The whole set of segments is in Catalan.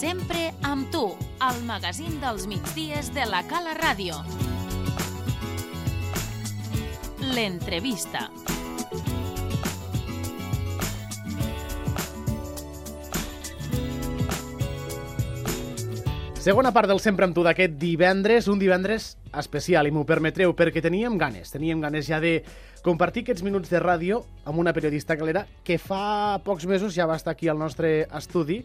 Sempre amb tu, al magazín dels migdies de la Cala Ràdio. L'entrevista. Segona part del Sempre amb tu d'aquest divendres, un divendres especial, i m'ho permetreu, perquè teníem ganes ja de compartir aquests minuts de ràdio amb una periodista calera que fa pocs mesos ja va estar aquí al nostre estudi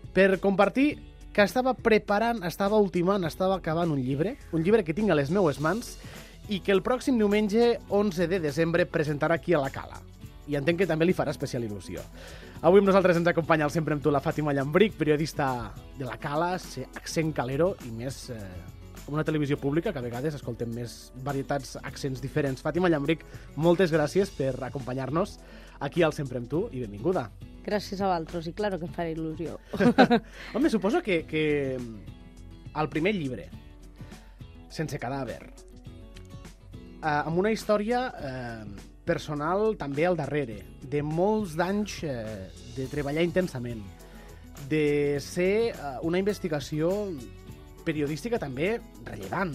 per compartir que estava preparant, estava ultimant, estava acabant un llibre que tinc a les meues mans i que el pròxim diumenge 11 de desembre presentarà aquí a la Cala. I entenc que també li farà especial il·lusió. Avui amb nosaltres ens acompanya el Sempre amb tu la Fàtima Llambric, periodista de la Cala, accent calero i més com una televisió pública, que a vegades escoltem més varietats, accents diferents. Fàtima Llambric, moltes gràcies per acompanyar-nos aquí al Sempre amb tu i benvinguda. Gràcies a vosaltres, i claro que em farà il·lusió. Home, suposo que el primer llibre, Sense cadàver, amb una història personal també al darrere, de molts d'anys de treballar intensament, de ser una investigació periodística també rellevant,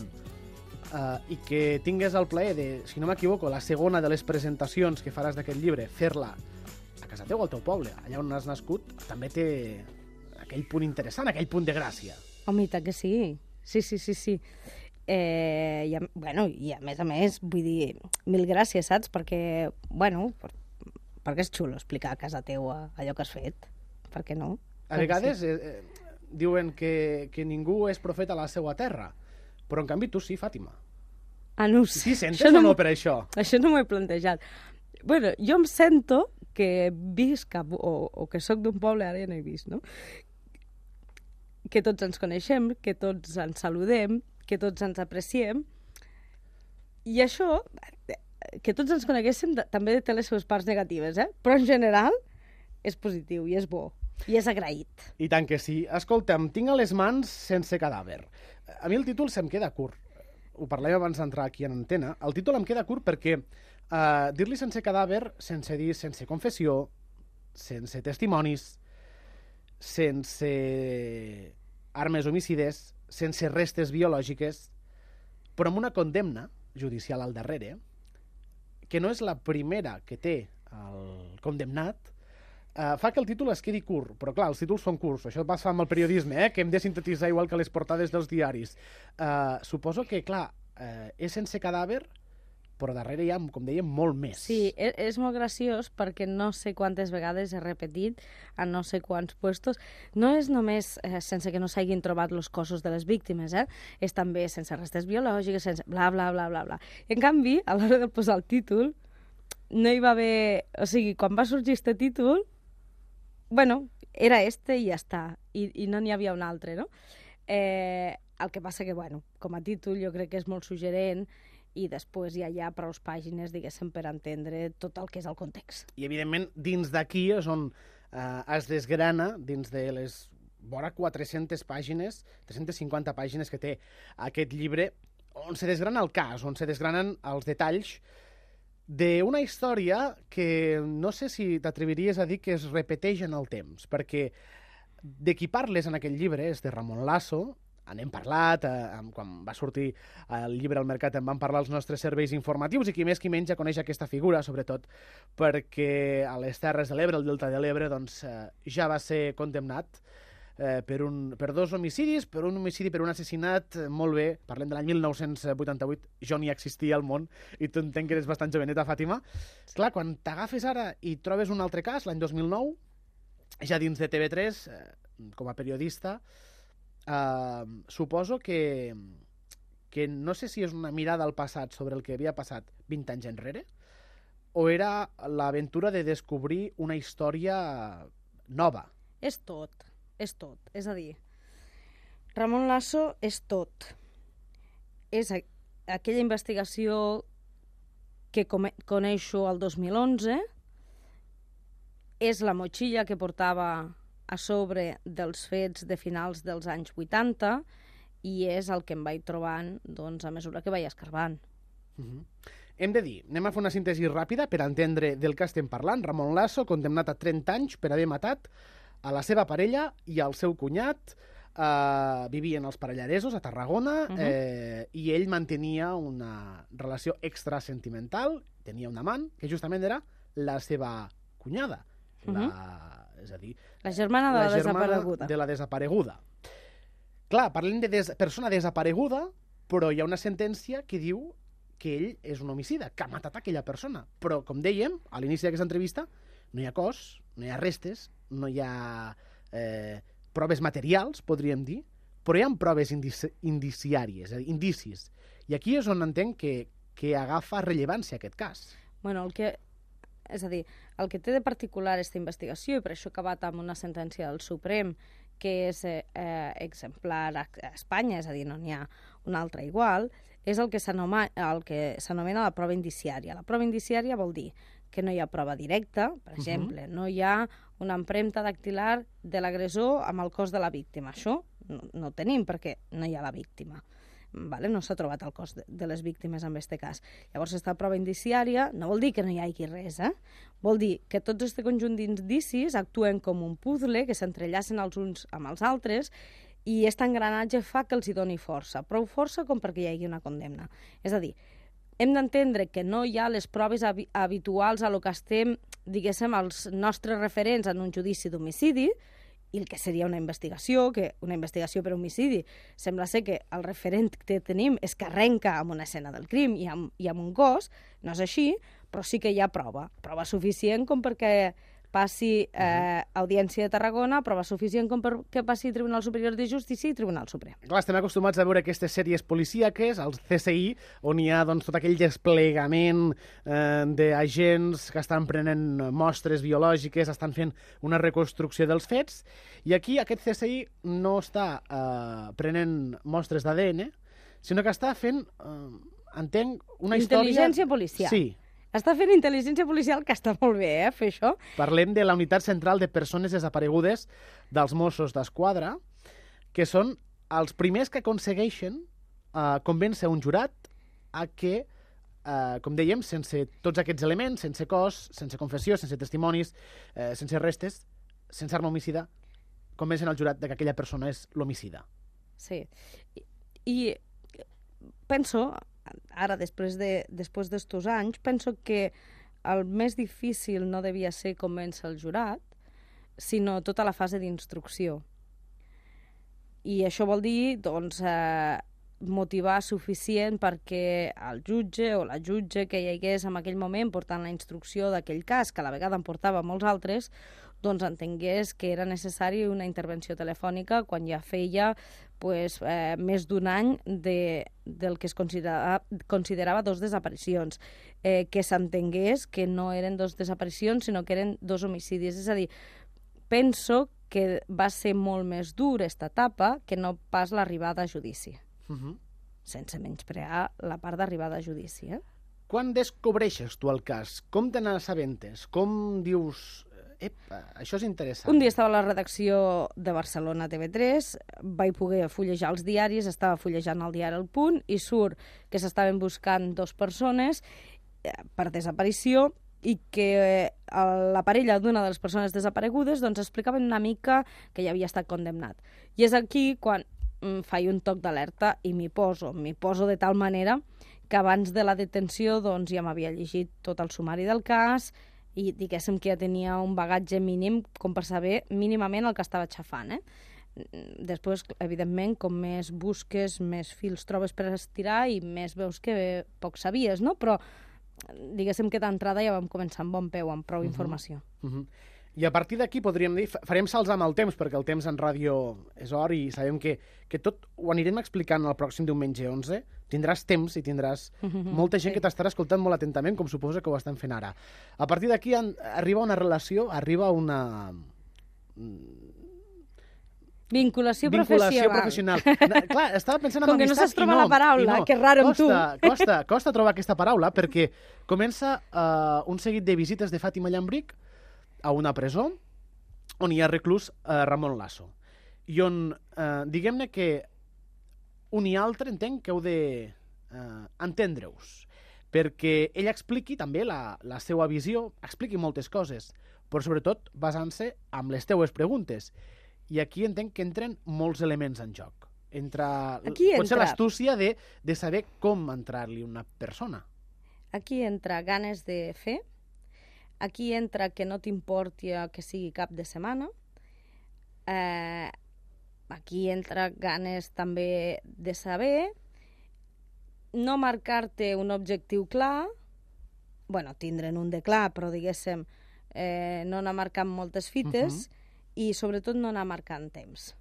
i que tingués el plaer de, si no m'equivoco, la segona de les presentacions que faràs d'aquest llibre, fer-la a casa teu, al teu poble, allà on has nascut, també té aquell punt interessant, aquell punt de gràcia. Home, i tant que sí. Sí. I a més, vull dir, mil gràcies, saps? Perquè és xulo explicar a casa teua allò que has fet. Per què no? A vegades diuen que ningú és profeta a la seva terra, però en canvi tu sí, Fàtima. Ah, no ho sé. Sí, sentes o no per això? Això no m'ho he plantejat. Bueno, jo em sento que visc o que sóc d'un poble, ara ja no he vist, no? Que tots ens coneixem, que tots ens saludem, que tots ens apreciem, i això, que tots ens coneguéssim, també té les seves parts negatives, però en general és positiu i és bo, i és agraït. I tant que sí. Escolta'm, tinc a les mans Sense cadàver. A mi el títol se'm queda curt. Ho parlàvem abans d'entrar aquí en antena. El títol em queda curt perquè dir-li sense cadàver, sense dir sense confessió, sense testimonis, sense armes homicides, sense restes biològiques, però amb una condemna judicial al darrere, que no és la primera que té el condemnat, fa que el títol es quedi curt. Però clar, els títols són curts, això passa amb el periodisme, que hem de sintetitzar igual que les portades dels diaris. Suposo que, clar, és sense cadàver, però darrere hi ha, com dèiem, molt més. Sí, és molt graciós perquè no sé quantes vegades he repetit a no sé quants puestos. No és només sense que no s'hagin trobat els cossos de les víctimes, és també sense restes biològiques, sense bla, bla, bla, bla, bla. En canvi, a l'hora de posar el títol, no hi va haver... O sigui, quan va sorgir este títol, era este i ja està, i no n'hi havia un altre, no? El que passa que, com a títol jo crec que és molt suggerent, i després ja hi ha prou pàgines, diguéssim, per entendre tot el que és el context. I, evidentment, dins d'aquí és on es desgrana, dins de les vora 400 pàgines, 350 pàgines que té aquest llibre, on se desgrana el cas, on se desgranen els detalls d'una història que no sé si t'atreviries a dir que es repeteix en el temps, perquè de qui parles en aquest llibre és de Ramon Lasso. N'hem parlat, quan va sortir el llibre al mercat en van parlar els nostres serveis informatius, i qui més qui menys ja coneix aquesta figura, sobretot perquè a les Terres de l'Ebre, al Delta de l'Ebre, ja va ser condemnat per dos homicidis, per un homicidi, per un assassinat, molt bé, parlem de l'any 1988, jo ni existia al món, i tu entenc que eres bastant joveneta, Fàtima. Clar, quan t'agafes ara i trobes un altre cas, l'any 2009, ja dins de TV3, com a periodista, suposo que no sé si és una mirada al passat sobre el que havia passat 20 anys enrere, o era l'aventura de descobrir una història nova. És tot. És a dir, Ramon Lasso és tot. És aquella investigació que coneixo el 2011, és la motxilla que portava a sobre dels fets de finals dels anys 80 i és el que em vaig trobant a mesura que vaig escarbant. Hem de dir, anem a fer una síntesi ràpida per entendre del que estem parlant. Ramon Lasso, condemnat a 30 anys per haver matat a la seva parella i al seu cunyat. Vivien als Parellaresos, a Tarragona, i ell mantenia una relació extrasentimental, tenia un amant, que justament era la seva cunyada. És a dir, la germana de la desapareguda. De la desapareguda. Clar, parlem de persona desapareguda, però hi ha una sentència que diu que ell és un homicida, que ha matat aquella persona. Però, com dèiem, a l'inici d'aquesta entrevista, no hi ha cos, no hi ha restes, no hi ha proves materials, podríem dir, però hi ha proves indiciàries, indicis. I aquí és on entenc que agafa rellevància aquest cas. Bueno, és a dir, el que té de particular aquesta investigació, i per això ha acabat amb una sentència del Suprem, que és exemplar a Espanya, és a dir, no n'hi ha una altra igual, és el que s'anomena la prova indiciària. La prova indiciària vol dir que no hi ha prova directa, per exemple, no hi ha una empremta dactilar de l'agressor amb el cos de la víctima. Això no ho tenim perquè no hi ha la víctima. Vale? No s'ha trobat el cos de les víctimes en aquest cas. Llavors, aquesta prova indiciària no vol dir que no hi hagi res, Vol dir que tots aquest conjunt d'indicis actuen com un puzzle, que s'entrellacen els uns amb els altres, i aquest engranatge fa que els hi doni força. Prou força com perquè hi hagi una condemna. És a dir, hem d'entendre que no hi ha les proves habituals a lo que estem, diguéssim, els nostres referents en un judici d'homicidi, i el que seria una investigació per homicidi. Sembla ser que el referent que tenim és que arrenca amb una escena del crim i amb un cos. No és així, però sí que hi ha prova suficient com perquè passi Audiència de Tarragona, prova suficient com perquè passi Tribunal Superior de Justícia i Tribunal Suprem. Clar, estem acostumats a veure aquestes sèries policíaques, els CSI, on hi ha tot aquell desplegament d'agents que estan prenent mostres biològiques, estan fent una reconstrucció dels fets, i aquí aquest CSI no està prenent mostres d'ADN, sinó que està fent, entenc, una història... Intel·ligència policial. Sí. Està fent intel·ligència policial, que està molt bé, fer això. Parlem de la Unitat Central de Persones Desaparegudes dels Mossos d'Esquadra, que són els primers que aconsegueixen convèncer un jurat a que, com dèiem, sense tots aquests elements, sense cos, sense confessió, sense testimonis, sense restes, sense arma homicida, convencen el jurat que aquella persona és l'homicida. Sí. I penso... Ara, després d'estos anys, penso que el més difícil no devia ser convèncer el jurat, sinó tota la fase d'instrucció. I això vol dir, doncs, motivar suficient perquè el jutge o la jutge que hi hagués en aquell moment portant la instrucció d'aquell cas, que a la vegada en portava molts altres, doncs entengués que era necessari una intervenció telefònica quan ja feia més d'un any del que es considerava dos desaparicions, que s'entengués que no eren dos desaparicions, sinó que eren dos homicidis. És a dir, penso que va ser molt més dur aquesta etapa que no pas l'arribada a judici. Sense menysprear la part d'arribada a judici. Quan descobreixes tu el cas? Com te n'assabentes? Com dius... això és interessant. Un dia estava a la redacció de Barcelona TV3, vaig poder fullejar els diaris, estava fullejant el diari El Punt i surt que s'estaven buscant 2 persones per desaparició i que la parella d'una de les persones desaparegudes doncs explicaven una mica que ja havia estat condemnat. I és aquí quan faig un toc d'alerta i m'hi poso de tal manera que abans de la detenció doncs ja m'havia llegit tot el sumari del cas i diguéssim que ja tenia un bagatge mínim com per saber mínimament el que estava xafant. Després, evidentment, com més busques, més fils trobes per estirar i més veus que poc sabies, no? Però diguéssim que d'entrada ja vam començar amb bon peu, amb prou informació. I a partir d'aquí podríem dir, farem salts amb el temps, perquè el temps en ràdio és or i sabem que tot ho anirem explicant el pròxim diumenge 11. Tindràs temps i tindràs molta gent que t'estarà escoltant molt atentament, com suposo que ho estan fent ara. A partir d'aquí arriba una relació, arriba una... Vinculació professional. Clar, estava pensant en com que no amistat saps trobar la paraula, que raro amb tu. Costa trobar aquesta paraula perquè comença un seguit de visites de Fàtima Llambric a una presó on hi ha reclús Ramon Lasso. I on, diguem-ne que un i altre entenc que heu d'entendre-us. perquè ell expliqui també la seva visió, expliqui moltes coses, però sobretot basant-se en les teues preguntes. I aquí entenc que entren molts elements en joc. Potser l'astúcia de saber com entrar-li una persona. Aquí entra ganes de fer, aquí entra que no t'importi que sigui cap de setmana, aquí entra ganes també de saber, no marcar-te un objectiu clar, tindre'n un de clar, però diguéssim, no anar marcant moltes fites i sobretot no anar marcant temps.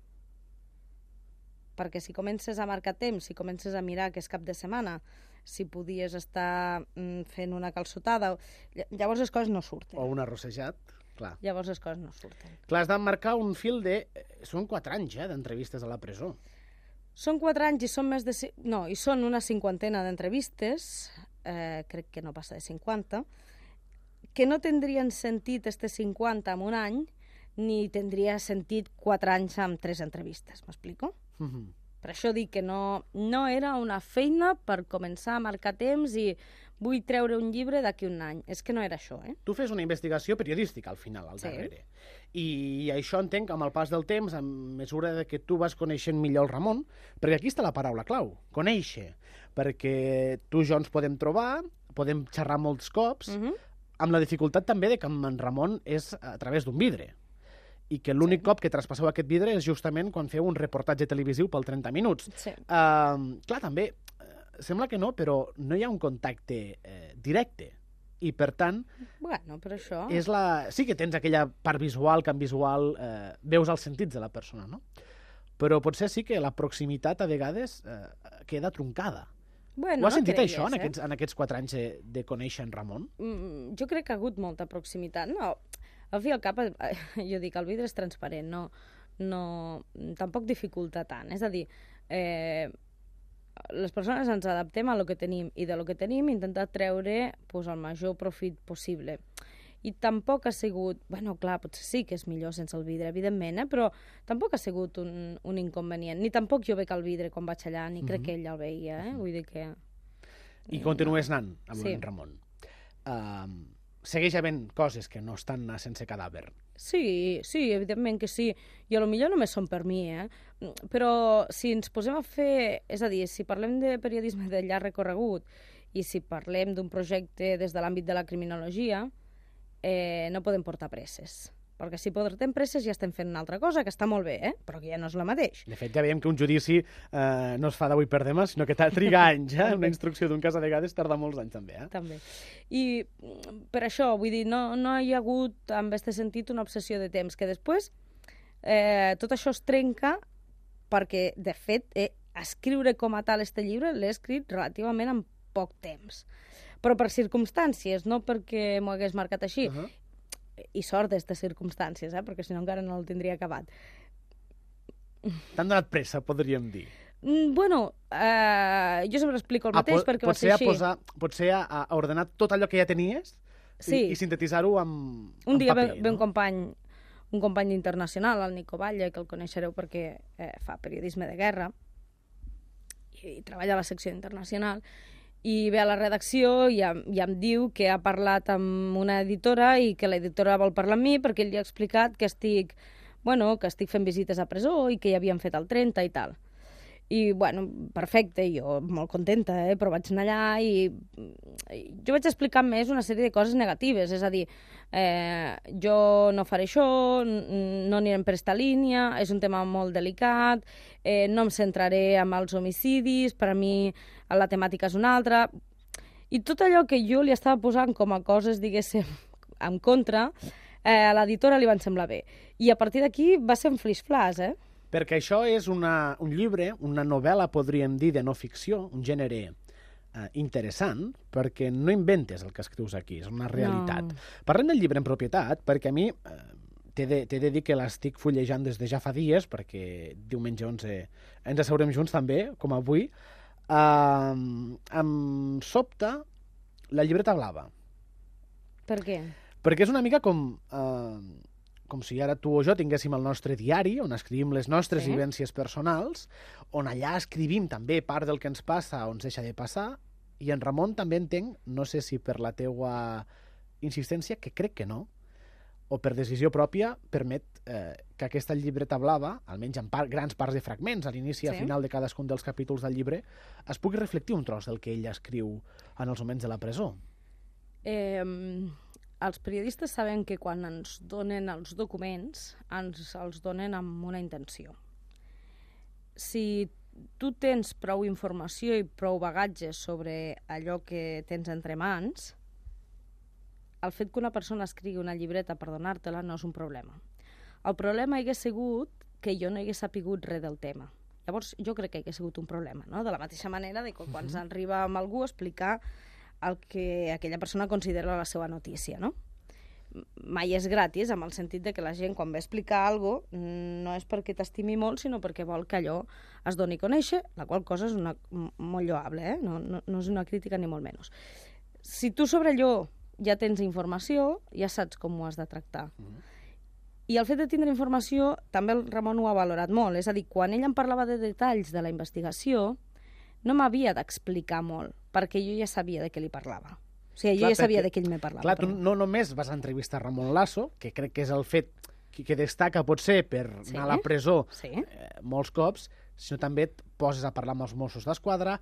Perquè si comences a marcar temps, si comences a mirar que és cap de setmana, si podies estar fent una calçotada, llavors les coses no surten. O un arrossejat, clar. Llavors les coses no surten. Clar, has de marcar un fil de... Són 4 anys, d'entrevistes a la presó. Són 4 anys i són més de... No, i són una 50ena d'entrevistes, crec que no passa de 50, que no tindrien sentit este 50 en un any, ni tindria sentit 4 anys amb 3 entrevistes, m'explico? Per això dic que no era una feina per començar a marcar temps i vull treure un llibre d'aquí un any. És que no era això, Tu fes una investigació periodística, al final, al darrere. I això entenc, amb el pas del temps, en mesura que tu vas coneixent millor el Ramon, perquè aquí està la paraula clau, conèixer. Perquè tu i jo ens podem trobar, podem xerrar molts cops, amb la dificultat també que amb en Ramon és a través d'un vidre. I que l'únic cop que traspasseu aquest vidre és justament quan feu un reportatge televisiu pel 30 minuts. Clar, també, sembla que no, però no hi ha un contacte directe. I, per tant, per això... sí que tens aquella part visual, que en visual veus els sentits de la persona, no? Però potser sí que la proximitat a vegades queda troncada. Ho has sentit això en aquests 4 anys de conèixer en Ramon? Jo crec que ha hagut molta proximitat. No, al fi i al cap, jo dic, el vidre és transparent, tampoc dificulta tant. És a dir, les persones ens adaptem a lo que tenim i de lo que tenim intentar treure el major profit possible. I tampoc ha sigut... clar, potser sí que és millor sense el vidre, evidentment, però tampoc ha sigut un inconvenient. Ni tampoc jo veig el vidre quan vaig allà, ni crec que ell el veia, Vull dir que... I continues anant amb en Ramon. Segueix havent coses que no estan sense cadàver. Sí, evidentment que sí. I potser només són per mi, Però si ens posem a fer... És a dir, si parlem de periodisme de llarg recorregut i si parlem d'un projecte des de l'àmbit de la criminologia, no podem portar presses. Perquè si portem presses ja estem fent una altra cosa, que està molt bé, però que ja no és la mateix. De fet, ja veiem que un judici no es fa d'avui per demà, sinó que triga anys, Una instrucció d'un cas a vegades tarda molts anys, també, També. I per això, vull dir, no hi ha hagut, en aquest sentit, una obsessió de temps, que després tot això es trenca perquè, de fet, escriure com a tal este llibre l'he escrit relativament en poc temps. Però per circumstàncies, no perquè m'ho hagués marcat així. I sort d'estes circumstàncies, perquè si no encara no el tindria acabat. T'han donat pressa, podríem dir. Jo sempre explico el mateix perquè va ser així. Potser a ordenar tot allò que ja tenies i sintetitzar-ho en paper. Un dia ve un company internacional, el Nico Valle, que el coneixereu perquè fa periodisme de guerra i treballa a la secció internacional, i ve a la redacció i em diu que ha parlat amb una editora i que l'editora vol parlar amb mi perquè ell li ha explicat que estic fent visites a presó i que ja havien fet el 30 i tal. I, perfecte, jo molt contenta, però vaig anar allà i jo vaig explicar més una sèrie de coses negatives, és a dir, jo no faré això, no anirem per esta línia, és un tema molt delicat, no em centraré en els homicidis, per a mi la temàtica és una altra, i tot allò que jo li estava posant com a coses, diguéssim, en contra, a l'editora li van semblar bé. I a partir d'aquí va ser un flis-flas, Perquè això és un llibre, una novel·la, podríem dir, de no ficció, un gènere interessant, perquè no inventes el que escrius aquí, és una realitat. No. Parlem del llibre en propietat, perquè a mi t'he de dir que l'estic fullejant des de ja fa dies, perquè diumenge 11 ens asseurem junts també, com avui. Em sobta la llibreta blava. Per què? Perquè és una mica com si ara tu o jo tinguéssim el nostre diari, on escrivim les nostres vivències personals, on allà escrivim també part del que ens passa o ens deixa de passar, I en Ramon també entenc, no sé si per la teua insistència, que crec que no, o per decisió pròpia, permet que aquesta llibreta blava, almenys en grans parts de fragments, a l'inici i al final de cadascun dels capítols del llibre, es pugui reflectir un tros del que ell escriu en els moments de la presó. Els periodistes saben que quan ens donen els documents, ens els donen amb una intenció. Si tu tens prou informació i prou bagatge sobre allò que tens entre mans, el fet que una persona escrigui una llibreta per donar-te-la no és un problema. El problema hagués sigut que jo no hagués sapigut res del tema. Llavors, jo crec que hagués sigut un problema, no? De la mateixa manera que quan s'arriba amb algú a explicar el que aquella persona considera la seva notícia, no? Mai és gratis, amb el sentit de que la gent, quan ve a explicar alguna cosa, no és perquè t'estimi molt, sinó perquè vol que allò es doni a conèixer, la qual cosa és molt lloable, no és una crítica ni molt menys. Si tu sobre allò ja tens informació, ja saps com ho has de tractar. I el fet de tindre informació, també el Ramon ho ha valorat molt, és a dir, quan ell em parlava de detalls de la investigació, no m'havia d'explicar molt, perquè jo ja sabia de què li parlava. O sigui, jo ja sabia de què ell me parlava. Clar, tu no només vas entrevistar Ramon Lasso, que crec que és el fet que destaca potser per anar a la presó molts cops, sinó també et poses a parlar amb els Mossos d'Esquadra,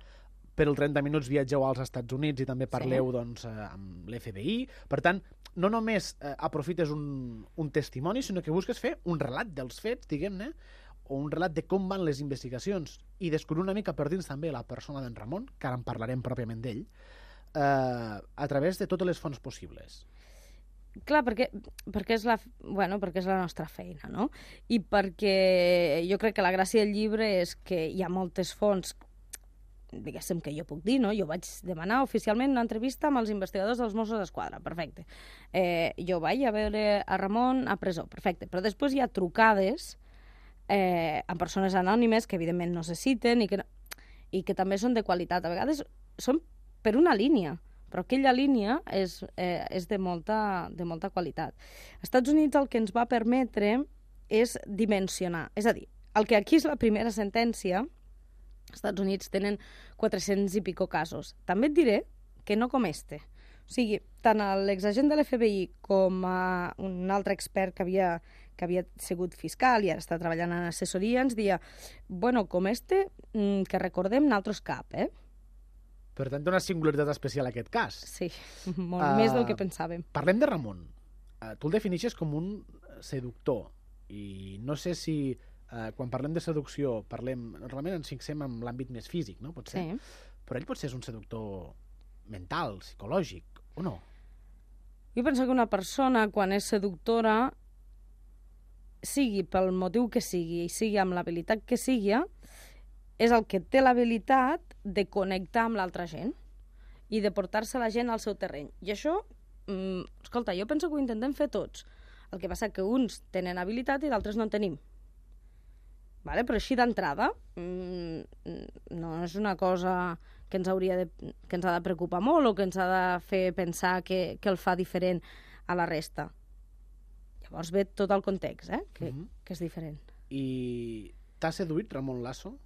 per els 30 minuts viatgeu als Estats Units i també parleu amb l'FBI. Per tant, no només aprofites un testimoni, sinó que busques fer un relat dels fets, diguem-ne, o un relat de com van les investigacions i descobrir una mica per dins també la persona d'en Ramon, que ara en parlarem pròpiament d'ell, a través de totes les fonts possibles. Clar, perquè és la nostra feina, no? I perquè jo crec que la gràcia del llibre és que hi ha moltes fonts, diguéssim, que jo puc dir, no? Jo vaig demanar oficialment una entrevista amb els investigadors dels Mossos d'Esquadra, perfecte. Jo vaig a veure a Ramon a presó, perfecte. Però després hi ha trucades amb persones anònimes que evidentment no se citen i que també són de qualitat. A vegades són per una línia, però aquella línia és de molta qualitat. Als Estats Units el que ens va permetre és dimensionar. És a dir, el que aquí és la primera sentència, als Estats Units tenen 400 i pico casos. També et diré que no com este. O sigui, tant l'exagent de l'FBI com un altre expert que havia sigut fiscal i ara està treballant en assessoria ens deia, bueno, com este, que recordem nosaltres cap, Per tant, té una singularitat especial aquest cas. Sí, molt més del que pensàvem. Parlem de Ramon. Tu el defineixes com un seductor. I no sé si quan parlem de seducció normalment ens fixem en l'àmbit més físic, no? Potser. Sí. Però ell potser és un seductor mental, psicològic, o no? Jo penso que una persona, quan és seductora, sigui pel motiu que sigui, i sigui amb l'habilitat que sigui, és el que té l'habilitat de connectar amb l'altra gent i de portar-se la gent al seu terreny. I això, escolta, jo penso que ho intentem fer tots. El que passa que uns tenen habilitat i d'altres no en tenim. Vale? Però així d'entrada no és una cosa que ens ha de preocupar molt o que ens ha de fer pensar que el fa diferent a la resta. Llavors ve tot el context, que és diferent. I t'ha seduït Ramon Lasso?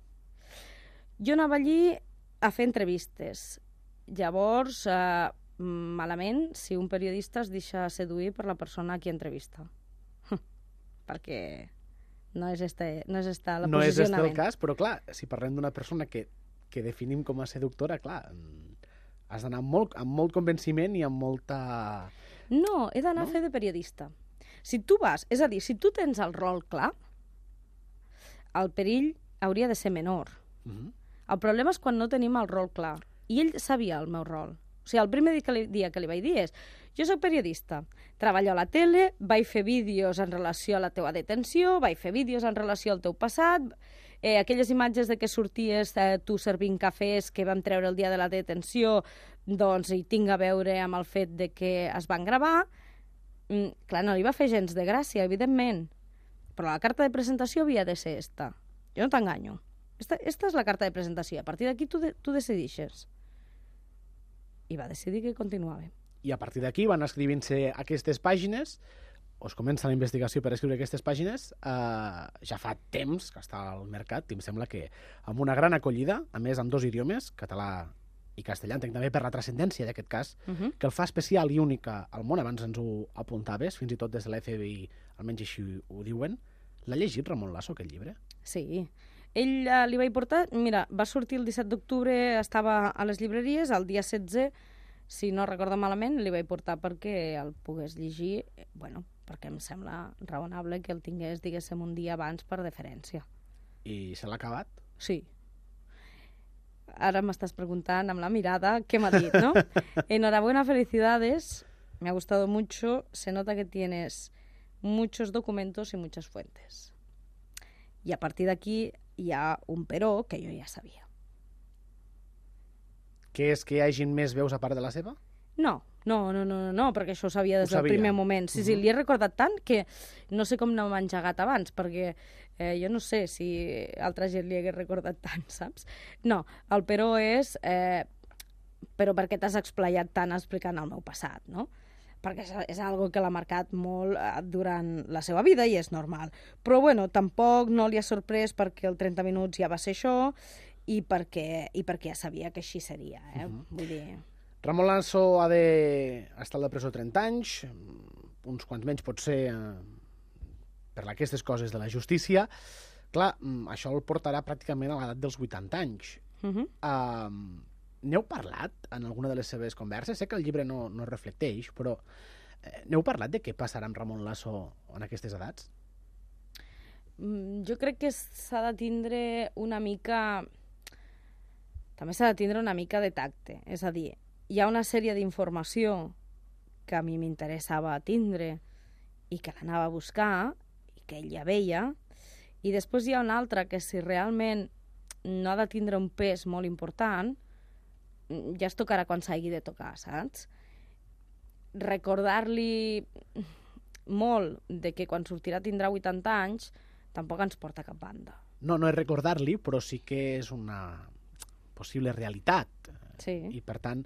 Jo anava allí a fer entrevistes. Llavors, malament si un periodista es deixa seduir per la persona a qui entrevista. Perquè no és esta la posicionament. No és este el cas, però clar, si parlem d'una persona que definim com a seductora, clar, has d'anar amb molt convenciment i amb molta... No, he d'anar a fer de periodista. Si tu vas, és a dir, si tu tens el rol clar, el perill hauria de ser menor. El problema és quan no tenim el rol clar. I ell sabia el meu rol. O sigui, el primer dia que li vaig dir és jo soc periodista, treballo a la tele, vaig fer vídeos en relació a la teua detenció, vaig fer vídeos en relació al teu passat, aquelles imatges de que sorties tu servint cafès que vam treure el dia de la detenció, doncs hi tinc a veure amb el fet de que es van gravar. Clar, no li va fer gens de gràcia, evidentment, però la carta de presentació havia de ser esta. Jo no t'enganyo. Esta és la carta de presentació. A partir d'aquí tu decidixes. I va decidir que continuava. I a partir d'aquí van escrivint-se aquestes pàgines, o es comença la investigació per escriure aquestes pàgines, ja fa temps que està al mercat, i em sembla que amb una gran acollida, a més amb 2 idiomes, català i castellà, entenc també per la transcendència d'aquest cas, que el fa especial i únic al món, abans ens ho apuntaves, fins i tot des de l'FBI, almenys així ho diuen. L'ha llegit Ramon Lasso, aquest llibre? Sí. Ell li vaig portar... Mira, va sortir el 17 d'octubre, estava a les llibreries, el dia 16, si no recordo malament, li vaig portar perquè el pogués llegir, bueno, perquè em sembla raonable que el tingués, diguéssim, un dia abans per deferència. I se l'ha acabat? Sí. Ahora me estás preguntando amb la mirada qué me ha dicho, ¿no? Enhorabuena, felicidades. Me ha gustado mucho. Se nota que tienes muchos documentos y muchas fuentes. Y a partir de aquí hi ha un però que jo ja sabia. Què és que hi hagin més veus a part de la seva? No, perquè això ho sabia des del primer moment. Sí, li he recordat tant que no sé com no m'ha engegat abans, perquè jo no sé si altra gent li hagués recordat tant, saps? No, el però és però per què t'has explayat tant explicant el meu passat, no? Perquè és algo que l'ha marcat molt durant la seva vida i és normal. Però, bueno, tampoc no li ha sorprès perquè el 30 minuts ja va ser això i perquè ja sabia que així seria, Vull dir... Ramon Lasso ha d'estar a la presó 30 anys, uns quants menys potser per aquestes coses de la justícia. Clar, això el portarà pràcticament a l'edat dels 80 anys. N'heu parlat en alguna de les seves converses? Sé que el llibre no reflecteix, però n'heu parlat de què passarà amb Ramon Lasso en aquestes edats? Jo crec que s'ha de tindre una mica... També s'ha de tindre una mica de tacte, és a dir, hi ha una sèrie d'informació que a mi m'interessava tindre i que l'anava a buscar i que ell ja veia, i després hi ha una altra que si realment no ha de tindre un pes molt important, ja es tocarà quan s'hagi de tocar, saps? Recordar-li molt de que quan sortirà tindrà 80 anys tampoc ens porta a cap banda. No és recordar-li, però sí que és una possible realitat. Sí. I, per tant,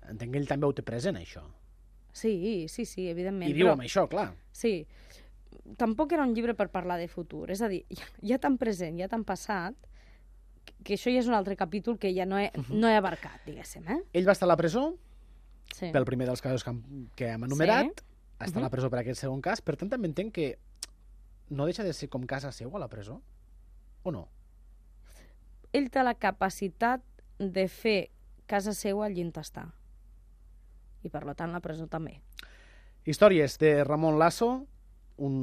entenc que ell també ho té present, això. Sí, evidentment. I diu amb això, clar. Sí. Tampoc era un llibre per parlar de futur. És a dir, hi ha tan present, hi ha tan passat, que això ja és un altre capítol que ja no he abarcat, diguéssim. Ell va estar a la presó sí. pel primer dels casos que hem enumerat, està a la presó per aquest segon cas, per tant també entenc que no deixa de ser com casa seu a la presó, o no? Ell té la capacitat de fer casa seva allí on està. I, per tant, la presó també. Històries de Ramon Lasso, un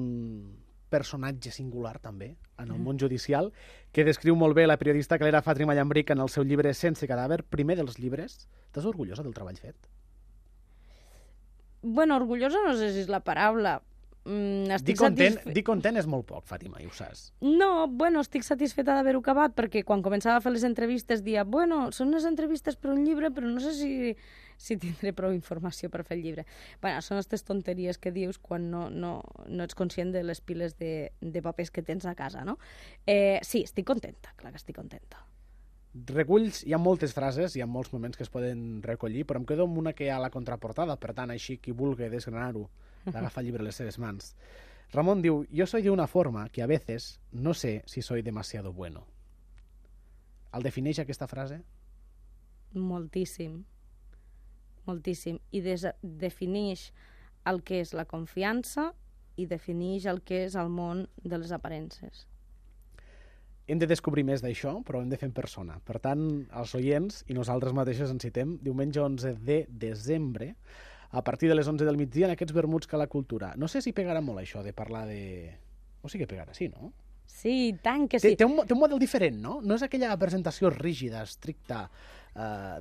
personatge singular, també, en el món judicial, que descriu molt bé la periodista Calera Fàtima Llambric en el seu llibre Sense cadàver, primer dels llibres. Estàs orgullosa del treball fet? Bueno, orgullosa no sé si és la paraula. Dir content és molt poc, Fàtima, i ho saps. No, bueno, estic satisfeta d'haver-ho acabat, perquè quan començava a fer les entrevistes dia, bueno, són unes entrevistes per un llibre, però no sé si tindré prou informació per fer el llibre. Bueno, són aquestes tonteries que dius quan no ets conscient de les piles de papers que tens a casa, no? Sí, estic contenta, clar que estic contenta. Reculls, hi ha moltes frases, hi ha molts moments que es poden recollir, però em quedo amb una que hi ha a la contraportada, per tant, així, qui vulgui desgranar-ho, d'agafar el llibre a les seves mans. Ramon diu, yo soy de una forma que a veces no sé si soy demasiado bueno. El defineix aquesta frase? Moltíssim. Moltíssim. I defineix el que és la confiança i defineix el que és el món de les aparences. Hem de descobrir més d'això, però hem de fer en persona. Per tant, els oients i nosaltres mateixos ens citem diumenge 11 de desembre a partir de les 11 del migdia en aquests vermuts que la cultura. No sé si pegarà molt això de parlar de... O sí que pegarà, sí, no? Sí, tant que sí. Té un model diferent, no? No és aquella presentació rígida, estricta,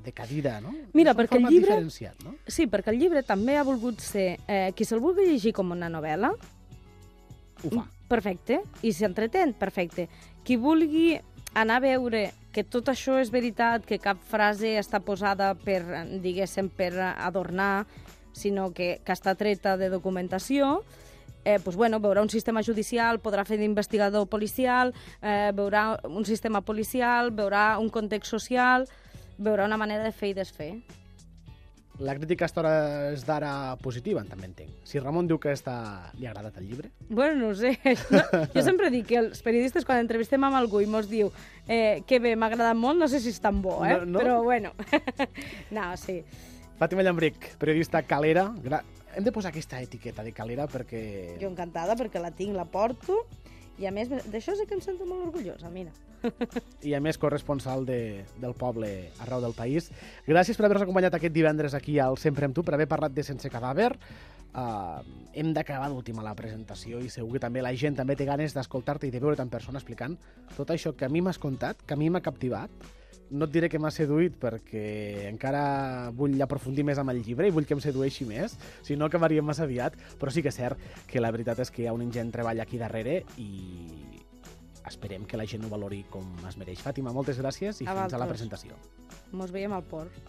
de cadira, no? Mira, perquè el llibre... diferenciat, no? Sí, perquè el llibre també ha volgut ser... qui se'l vulgui llegir com una novel·la... Ho fa. Perfecte. I s'entretén, perfecte. Qui vulgui anar a veure que tot això és veritat, que cap frase està posada per, diguéssim, per adornar, sinó que està treta de documentació, pues bueno, veurà un sistema judicial, podrà fer d'investigador policial, veurà un sistema policial, veurà un context social, veurà una manera de fer i desfer. La crítica a hores d'ara positiva, també entenc. Si Ramon diu que li ha agradat el llibre... Bueno, no ho sé. No, jo sempre dic que els periodistes, quan entrevistem amb algú i mos diu que bé, m'ha agradat molt, no sé si és tan bo, No? Però bueno. No, sí. Fàtima Llambric, periodista calera. Hem de posar aquesta etiqueta de calera perquè... Jo encantada perquè la tinc, la porto, i a més d'això sí que em sento molt orgullosa, mira. I a més corresponsal del poble arreu del país. Gràcies per haver-nos acompanyat aquest divendres aquí al Sempre amb tu, per haver parlat de Sense Cadàver. Hem d'acabar d'última la presentació i segur que també la gent també té ganes d'escoltar-te i de veure't en persona explicant tot això que a mi m'has contat, que a mi m'ha captivat. No et diré que m'ha seduït perquè encara vull aprofundir més amb el llibre i vull que em sedueixi més, si no acabaríem massa aviat, però sí que és cert que la veritat és que hi ha un ingent treball aquí darrere i esperem que la gent ho valori com es mereix. Fàtima, moltes gràcies i fins a la presentació. Mos veiem al port.